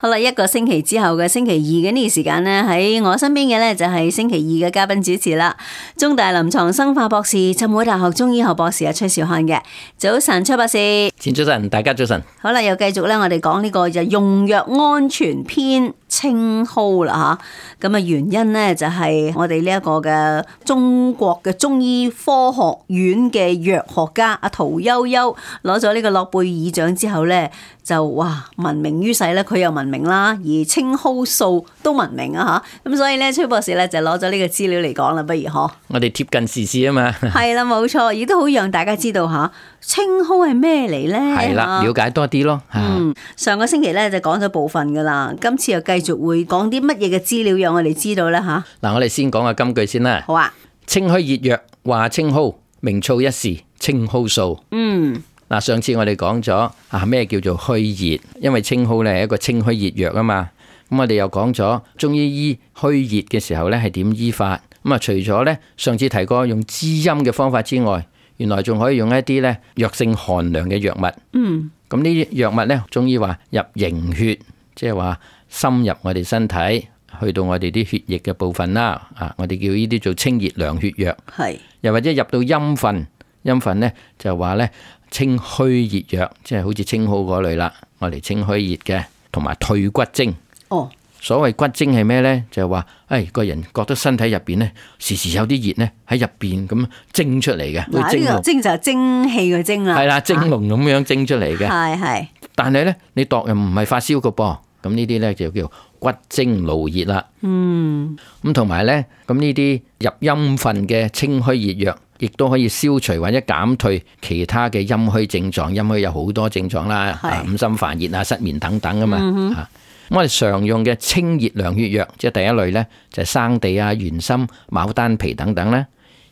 好啦，一個星期之後嘅星期二嘅呢個時間呢，喺我身邊嘅呢就係星期二嘅嘉賓主持啦。中大臨床生化博士、浸會大學中醫學博士崔兆漢嘅。早晨，崔博士。前早晨，大家早晨。好啦，又繼續咧，我哋講呢個就用藥安全篇青蒿啦吓。咁啊，原因呢就係我哋呢一個嘅中國嘅中醫科學院嘅藥學家阿屠呦呦攞咗呢個諾貝爾獎之後呢，就哇聞名於世咧，佢又聞名啦，而青蒿素都聞名啊吓。咁所以咧，崔博士咧就攞咗呢個資料嚟講啦，不如嗬？我哋貼近時事啊嘛。係啦，冇錯，亦都好讓大家知道吓青蒿係咩嚟咧？係啦，了解多啲咯。上個星期咧就講咗部分噶啦，今次又繼續會講啲乜嘢嘅資料讓我哋知道咧吓？嗱，我哋先講下金句先啦。好啊。清虛熱藥話青蒿，名噪一時青蒿素。嗱，上次我哋講咗咩叫做虛熱，因為青蒿咧係一個清虛熱藥啊嘛。咁我哋又講咗中醫醫虛熱嘅時候咧係點醫法。咁啊，除咗咧上次提過用滋陰嘅方法之外，原來仲可以用一啲咧藥性寒涼嘅藥物。咁呢啲藥物咧，中醫話入營血，即係話深入我哋身體，去到我哋啲血液嘅部分啦。我哋叫呢啲做清熱涼血藥。係。又或者入到陰分，陰分咧就話咧。清虛熱藥，即係好似青蒿嗰類啦，我哋清虛熱嘅，同埋退骨精。所謂骨精係咩呢？就係話，個人覺得身體入邊呢，時時有啲熱呢喺入邊咁蒸出嚟嘅。呢個精就係蒸氣嘅精啦。係啦，蒸籠咁樣蒸出嚟嘅。係。但係呢，你度又唔係發燒嘅噃，咁呢啲呢，就叫骨精勞熱啦。咁同埋呢，咁呢啲入陰分嘅清虛熱藥。亦都可以消除或者減退其他嘅陰虛症狀，陰虛有好多症狀啦，五心煩熱啊、失眠等等啊嘛。我哋常用嘅清熱涼血藥，即係第一類呢，就係生地啊、玄參、牡丹皮等等啦。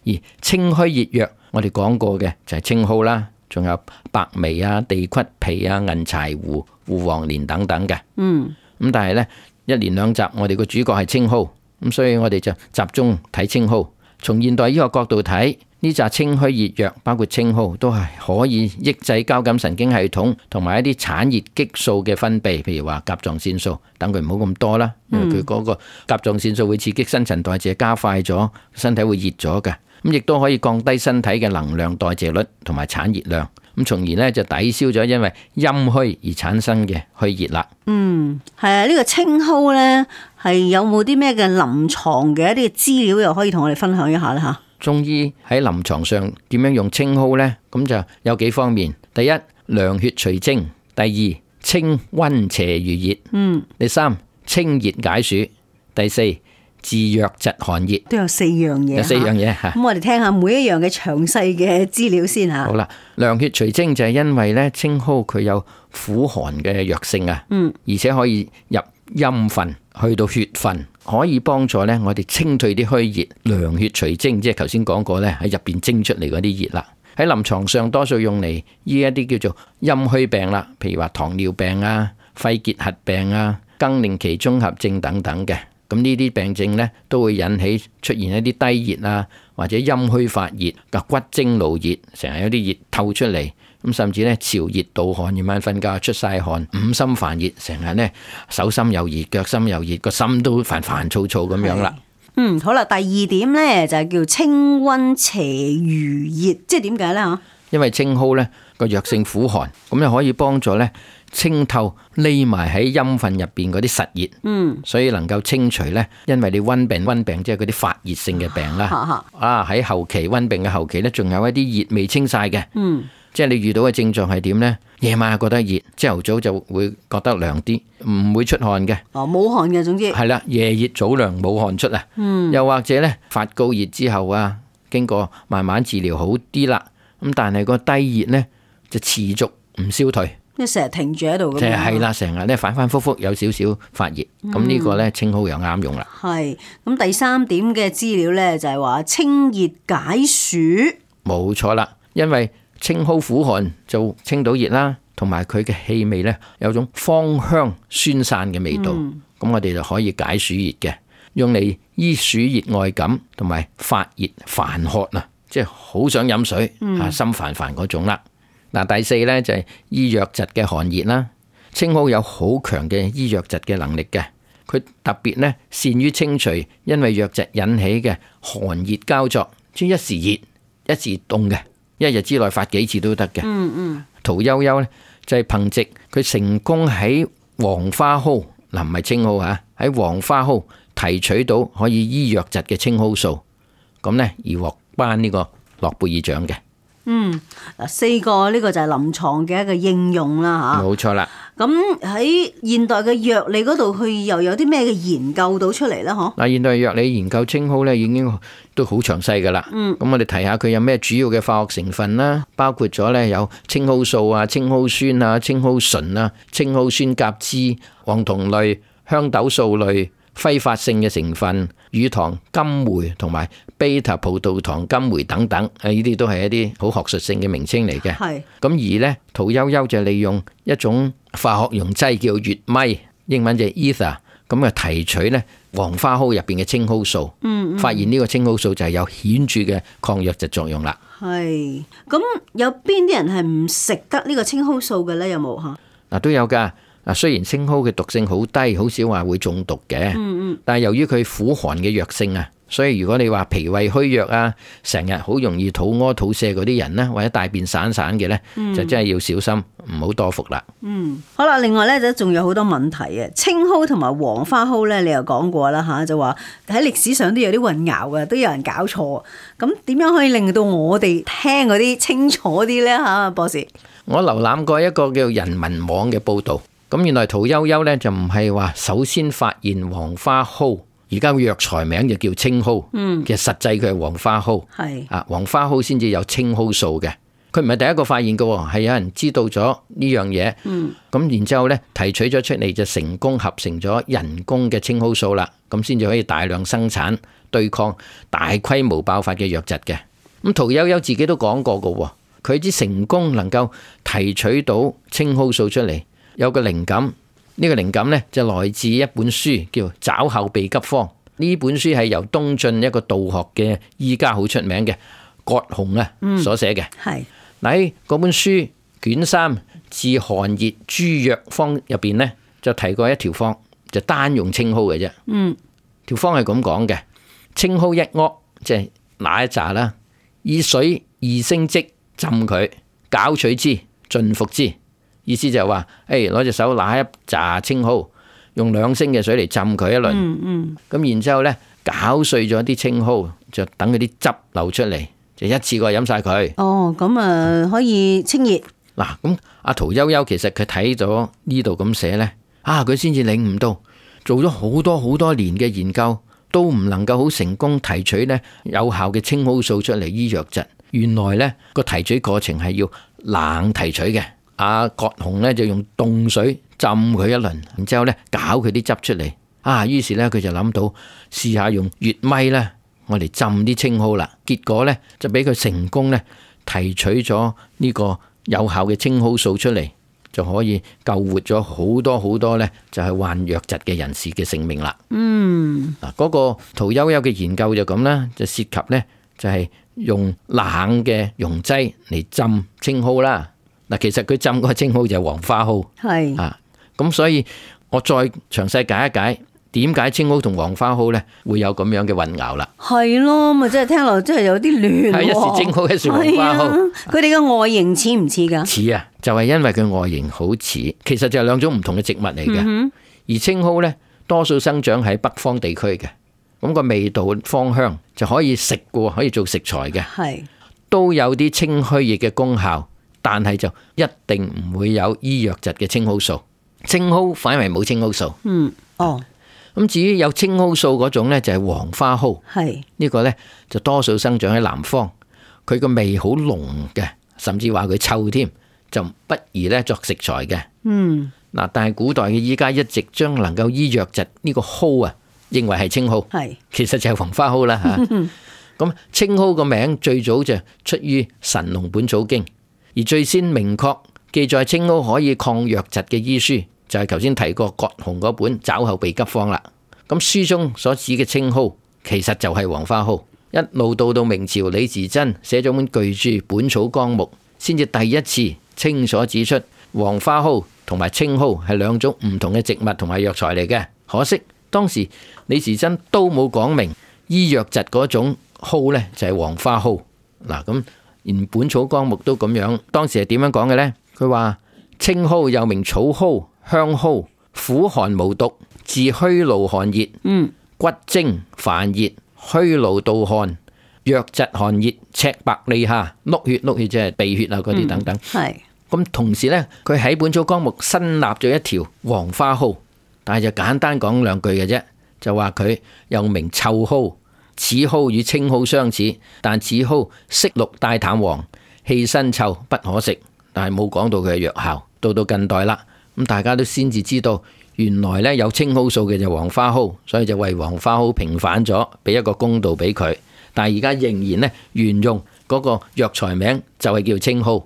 而清虛熱藥，我哋講過嘅就係青蒿啦，仲有白眉啊、地骨皮啊、銀柴胡、胡黃連等等嘅。咁但係呢，一連兩集我哋個主角係青蒿，咁所以我哋就集中睇青蒿。從現代醫學角度睇，呢紮清虛熱藥，包括青蒿，都係可以抑制交感神經系統同埋一啲產熱激素嘅分泌，譬如話甲狀腺素，等佢唔好咁多啦，因為佢嗰個甲狀腺素會刺激新陳代謝，加快咗，身體會熱咗嘅。咁亦都可以降低身體嘅能量代謝率同埋產熱量，咁從而呢就抵消咗因為陰虛而產生嘅虛熱啦。係啊，呢個青蒿呢，係有冇啲咩嘅臨床嘅一啲資料又可以同我哋分享一下咧吓？中醫喺臨床上點樣用青蒿呢？咁就有幾方面。第一，涼血除蒸；第二，清溫邪濡熱；第三，清熱解暑；第四，治瘧疾寒熱。都有4樣嘢。有4樣嘢吓。咁我哋聽下每一樣嘅詳細嘅資料先吓。好啦，涼血除蒸就係因為咧青蒿佢有苦寒嘅藥性啊，而且可以入陰分去到血分。可以幫助咧，我哋清退啲虛熱，涼血除蒸，即係頭先講過咧，喺入邊蒸出嚟嗰啲熱啦。喺臨床上多數用嚟醫一啲叫做陰虛病啦，譬如話糖尿病啊、肺結核病啊、更年期綜合症等等嘅。咁呢啲病症咧都會引起出現一啲低熱啊，或者陰虛發熱嘅骨精勞熱，成日有啲熱透出嚟。咁甚至咧潮熱盜汗，夜晚瞓覺出晒汗，五心煩熱，成日咧手心又熱，腳心又熱，個心都煩煩躁躁咁樣啦。好啦，第二點咧就係叫清溫邪濡熱，即係點解咧吓？因為青蒿咧個藥性苦寒，咁又可以幫助咧清透匿埋喺陰分入邊嗰啲實熱，所以能夠清除咧，因為你溫病即係嗰啲發熱性嘅病啦。喺後期溫病嘅後期咧，仲有一啲熱未清晒嘅。即係你遇到嘅症狀係點呢？夜晚覺得熱，朝頭早就會覺得涼啲，唔會出汗嘅。冇汗嘅，總之係啦，夜熱早涼冇汗出啊。又或者呢，發高熱之後啊，經過慢慢治療好啲啦，咁但係個低熱呢，就持續唔消退，即係成日停住喺度咁。係啦，成日咧反反复复有少少發熱，咁呢個呢，青蒿又啱用啦。係咁，第三點嘅資料呢，就係話清熱解暑。冇錯啦，因為青蒿苦寒就清到熱啦，同埋佢嘅氣味呢，有種芳香酸散嘅味道，咁我哋就可以解暑熱嘅，用嚟醫暑熱外感同埋發熱煩渴啊，即係好想飲水心煩煩嗰種啦。嗱，第四呢，就係醫瘧疾嘅寒熱啦，青蒿有好強嘅醫瘧疾嘅能力嘅，佢特別呢善於清除因為瘧疾引起嘅寒熱交錯，即一時熱一時凍嘅，一日之內發幾次都得嘅。屠呦呦呢就係憑藉佢成功喺黃花蒿，嗱唔係青蒿吓，喺黃花蒿提取到可以醫瘧疾嘅青蒿素，咁呢而獲頒呢個諾貝爾獎嘅。四個呢個就係臨床嘅一個應用啦吓。冇錯啦。咁喺現代嘅藥理嗰度，佢又有啲咩嘅研究到出嚟咧？嗬。嗱，現代藥理研究青蒿咧，已經都好詳細噶啦。咁我哋提下佢有咩主要嘅化學成分啦，包括咗咧有青蒿素啊、青蒿酸啊、青蒿醇啊、青蒿酸甲酯、黃酮類、香豆素類、揮發性嘅成分、乳糖金酶同埋 β 葡萄糖金酶等等，呢啲都係一啲好學術性嘅名稱嚟嘅。係。咁而呢，屠呦呦就利用一種化學溶劑叫乙醚，英文就係 ether， 咁啊提取呢黃花蒿入邊嘅青蒿素，發現呢個青蒿素就係有顯著嘅抗瘧疾作用啦。係。咁有邊啲人係唔食得呢個青蒿素嘅呢？有冇嚇？嗱，都有㗎。雖然青蒿嘅毒性好低，好少話會中毒嘅，但係由於佢苦寒嘅藥性啊，所以如果你話脾胃虛弱啊，成日好容易肚屙肚瀉嗰啲人呢，或者大便散散嘅呢，就真係要小心，唔好多服啦。好啦，另外呢，就仲有好多問題嘅，青蒿同埋黃花蒿呢，你又講過啦吓，就話喺歷史上都有啲混淆嘅，都有人搞錯。咁點樣可以令到我哋聽嗰啲清楚啲呢？吓，博士？我瀏覽過一個叫人民網嘅報道。咁原來屠呦呦咧就唔係話首先發現黃花蒿，而家個藥材名就叫青蒿。其實實際佢係黃花蒿。係啊，黃花蒿先至有青蒿素嘅。佢唔係第一個發現嘅，係有人知道咗呢樣嘢。咁然之後咧提取咗出嚟就成功合成咗人工嘅青蒿素啦。咁先至可以大量生產對抗大規模爆發嘅瘧疾嘅。咁屠呦呦自己都講過嘅，佢之成功能夠提取到青蒿素出嚟。有個靈感，呢個靈感呢就來自一本書叫《抓後備急方》。呢本書係由東晉一個道學嘅醫家好出名嘅葛洪啊所寫嘅。係喺嗰本書卷3治寒熱諸藥方入邊呢，就提過一條方，就單用青蒿嘅啫。條方係咁講嘅：青蒿一鍋，即係那一紮啦，以水2升即浸佢，攪取之，盡服之。意思就係話，攞隻手拿一紮青蒿，用2升嘅水嚟浸佢一輪，咁然之後呢，攪碎咗啲青蒿，就等佢啲汁流出嚟，就一次過飲晒佢。哦，咁啊可以清熱。嗱，咁阿屠呦呦其實佢睇咗呢度咁寫呢，佢先至領悟到，做咗好多年嘅研究，都唔能夠好成功提取呢有效嘅青蒿素出嚟醫瘧疾。原來呢個提取過程係要冷提取嘅。葛洪咧就用凍水浸佢一輪，然之後咧攪佢啲汁出嚟。於是咧佢就諗到試下用乙醚咧，我嚟浸啲青蒿啦。結果咧就俾佢成功咧提取咗呢個有效嘅青蒿素出嚟，就可以救活咗好多咧就係患瘧疾嘅人士嘅性命啦。嗰個屠呦呦嘅研究就咁啦，就涉及咧就係用冷嘅溶劑嚟浸青蒿啦。嗱，其實佢浸嗰個青蒿就係黃花蒿，係咁，所以我再詳細解一解點解青蒿同黃花蒿咧會有咁樣嘅混淆啦。係咯，咪真係聽落真係有啲亂。係一時青蒿，一時黃花蒿。佢哋嘅外形似唔似噶？似啊，就係因為佢外形好似，其實就係2種唔同嘅植物嚟嘅。而青蒿咧，多數生長喺北方地區嘅，咁個味道芳香就可以食嘅，可以做食材嘅，係都有啲清虛熱嘅功效。但係就一定唔會有醫瘧疾嘅青蒿素，青蒿反為冇青蒿素。咁至於有青蒿素嗰種呢，就係黃花蒿。係呢個呢，就多數生長喺南方，佢個味好濃嘅，甚至話佢臭添，就不宜呢作食材嘅。但係古代嘅醫家一直將能夠醫瘧疾呢個蒿啊，認為係青蒿，其實就係黃花蒿啦吓。咁青蒿個名最早就出於《神農本草經》。而最先明確記載青蒿可以抗瘧疾嘅醫書，就係頭先提過葛洪嗰本《抓後備急方》啦。咁書中所指嘅青蒿，其實就係黃花蒿。一路到明朝李時珍寫咗本巨著《本草綱目》，先至第一次清楚指出黃花蒿同埋青蒿係兩種唔同嘅植物同埋藥材嚟嘅。可惜當時李時珍都冇講明醫藥疾嗰種蒿呢就係黃花蒿。嗱，咁連本草綱目都咁樣，當時係點樣講嘅呢？佢話青蒿又名草蒿、香蒿，苦寒無毒，治虛勞寒熱，骨精煩熱，虛勞盜汗，藥疾寒熱，赤白痢下，碌血即係鼻血啊嗰啲等等。係咁同時呢，佢喺本草綱目新立咗一條黃花蒿，但係就簡單講兩句嘅啫，就話佢又名臭蒿，此蒿與青蒿相似，但此蒿色綠帶淡黃，氣辛臭，不可食。但係冇講到佢嘅藥效。到近代啦，咁大家都先至知道，原來呢有青蒿素嘅就黃花蒿，所以就為黃花蒿平反咗，俾一個公道俾佢。但係而家仍然呢沿用嗰個藥材名就係叫青蒿。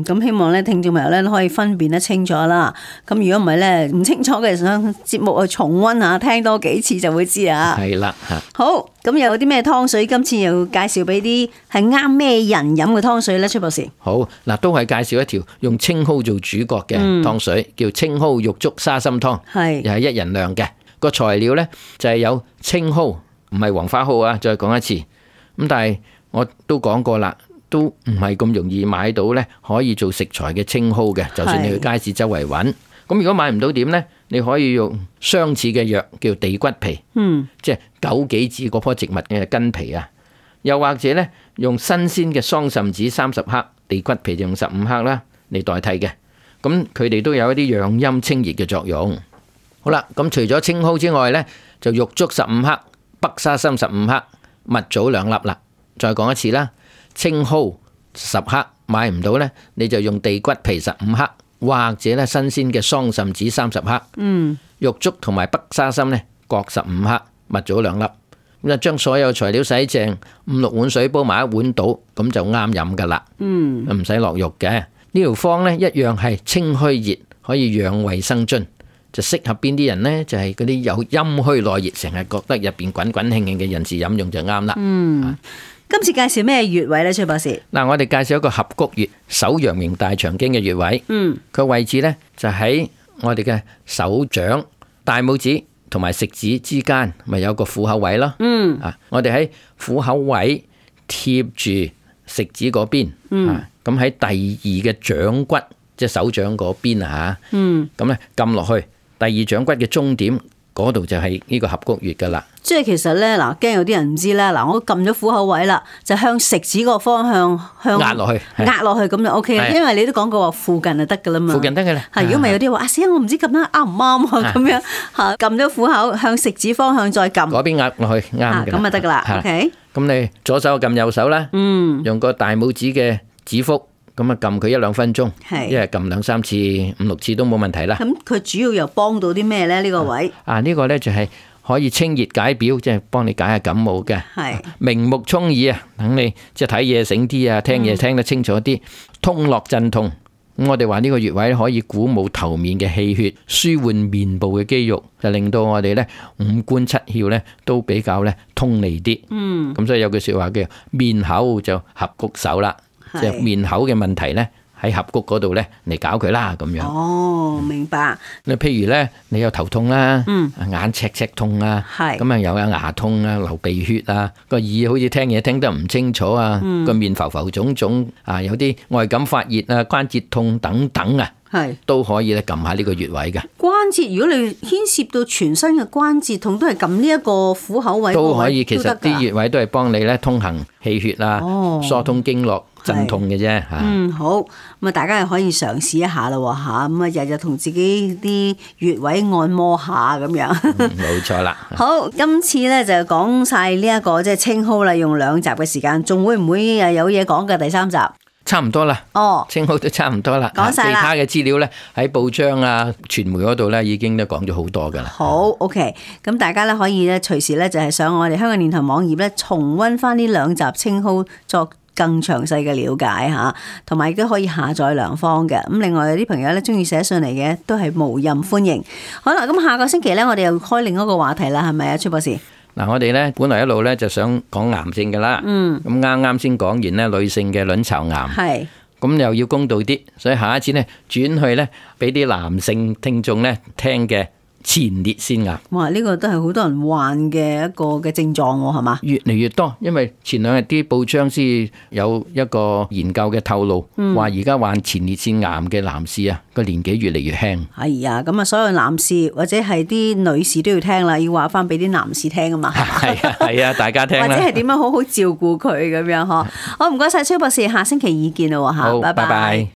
咁希望咧聽眾朋友咧可以分辨得清楚啦。咁如果唔係咧唔清楚嘅，想節目去重溫下，聽多幾次就會知啊。係啦，好，咁有啲咩湯水？今次又介紹俾啲係啱咩人飲嘅湯水呢？崔博士。好嗱，都係介紹一條用青蒿做主角嘅湯水，叫青蒿玉竹沙參湯，又係1人量嘅。個材料呢，就係有青蒿，唔係黃花蒿啊。再講一次，咁但係我都講過啦，都唔係咁容易買到呢可以做食材嘅青蒿嘅。就算你去街市周圍揾，咁如果買唔到點呢？你可以用相似嘅藥叫地骨皮，即係枸杞子嗰棵植物嘅根皮啊。又或者呢，用新鮮嘅桑葚子30克，地骨皮就用15克啦嚟代替嘅。咁佢哋都有一啲養陰清熱嘅作用。好啦，咁除咗青蒿之外呢，就玉竹15克，北沙參15克，蜜棗2粒啦。再講一次啦，青蒿10克，買唔到呢，你就用地骨皮15克，或者咧新鮮嘅桑葚子30克，玉竹同埋北沙參呢各15克，蜜棗2粒。咁就將所有材料洗淨，5-6碗水煲埋一碗倒，咁就啱飲噶啦。唔使落肉嘅。呢條方呢一樣係清虛熱，可以養胃生津，就適合邊啲人呢？就係嗰啲有陰虛內熱，成日覺得入邊滾滾慶慶嘅人士飲用就啱啦。今次介紹咩穴位呢？崔博士。嗱，我哋介紹一個合谷穴，手陽明大腸經嘅穴位。佢位置呢，就喺我哋嘅手掌、大拇指同埋食指之間，咪有個虎口位咯。我哋喺虎口位貼住食指嗰邊，咁喺第2嘅掌骨，即係手掌嗰邊啊嚇。咁咧撳落去第2掌骨嘅中點嗰度就係呢個合谷穴噶啦。即係其實咧，嗱，驚有啲人唔知啦。嗱，我撳咗虎口位啦，就向食指個方向壓落去，咁就 OK 啦。因為你都講過話附近就得噶啦嘛。附近得噶啦。如果唔係有啲話死我唔知撳得啱唔啱啊咁樣嚇，撳咗虎口向食指方向再撳。嗰邊壓落去啱嘅。咁就得噶啦。OK。咁你左手撳右手啦。用個大拇指嘅指腹。咁啊，撳佢1-2分鐘，一日撳2-3次、5-6次都冇問題啦。咁佢主要又幫到啲咩咧？呢個位呢個咧就係可以清熱解表，即係幫你解下感冒嘅。明目聰耳啊，等你即係睇嘢醒啲啊，聽嘢聽得清楚啲，通絡鎮痛。咁我哋話呢個穴位可以鼓舞頭面嘅氣血，舒緩面部嘅肌肉，就令到我哋咧5官7竅咧都比較咧通利啲。咁所以有句說話叫面口就合谷手啦。即係面口嘅問題咧，喺合谷嗰度咧嚟搞佢啦，咁樣。哦，明白。你譬如咧，你有頭痛啦，眼赤痛啊，咁啊又有牙痛啊，流鼻血啊，個耳好似聽嘢聽得唔清楚啊，個面浮浮腫腫啊，有啲外感發熱啊，關節痛等等啊，都可以咧撳下呢個穴位嘅。關節如果你牽涉到全身嘅關節痛，都係撳呢一個虎口位都可以。其實啲穴位都係幫你咧通行氣血啊，疏通經絡。鎮痛嘅啫嚇。好，咁啊大家又可以嘗試一下咯嚇，咁啊日日同自己啲穴位按摩下咁樣。冇錯啦。好，今次咧就講晒呢一個即係青蒿啦，用2集嘅時間，仲會唔會有嘢講嘅第3集？差唔多啦。哦，青蒿都差唔多啦。講晒啦。其他嘅資料咧喺報章啊、傳媒嗰度咧已經都講咗好多噶啦。好 ，OK，咁大家咧可以咧隨時咧就係上我哋香港電台網頁咧重溫翻呢2集青蒿作更詳細嘅了解嚇，同埋亦都可以下載良方嘅。咁另外有啲朋友咧中意寫信嚟嘅，都係無任歡迎。好啦，咁下個星期咧，我哋又開另一個話題啦，係咪啊，崔博士？嗱，我哋咧本來一路咧就想講癌症㗎啦。咁啱先講完咧女性嘅卵巢癌。係。咁又要公道啲，所以下一次呢，轉去呢，俾啲男性聽眾呢聽嘅前列腺癌。哇！呢個都係好多人患嘅一個嘅症狀喎，係嘛？越嚟越多，因為前兩日啲報章先有一個研究嘅透露，話而家患前列腺癌嘅男士啊，個年紀越嚟越輕。係啊，咁啊，所有男士或者係啲女士都要聽啦，要話翻俾啲男士聽啊嘛。係啊，大家聽啦。或者係點樣好好照顧佢咁樣嗬。好，唔該晒，崔博士，下星期二見啦吓，好，拜拜拜。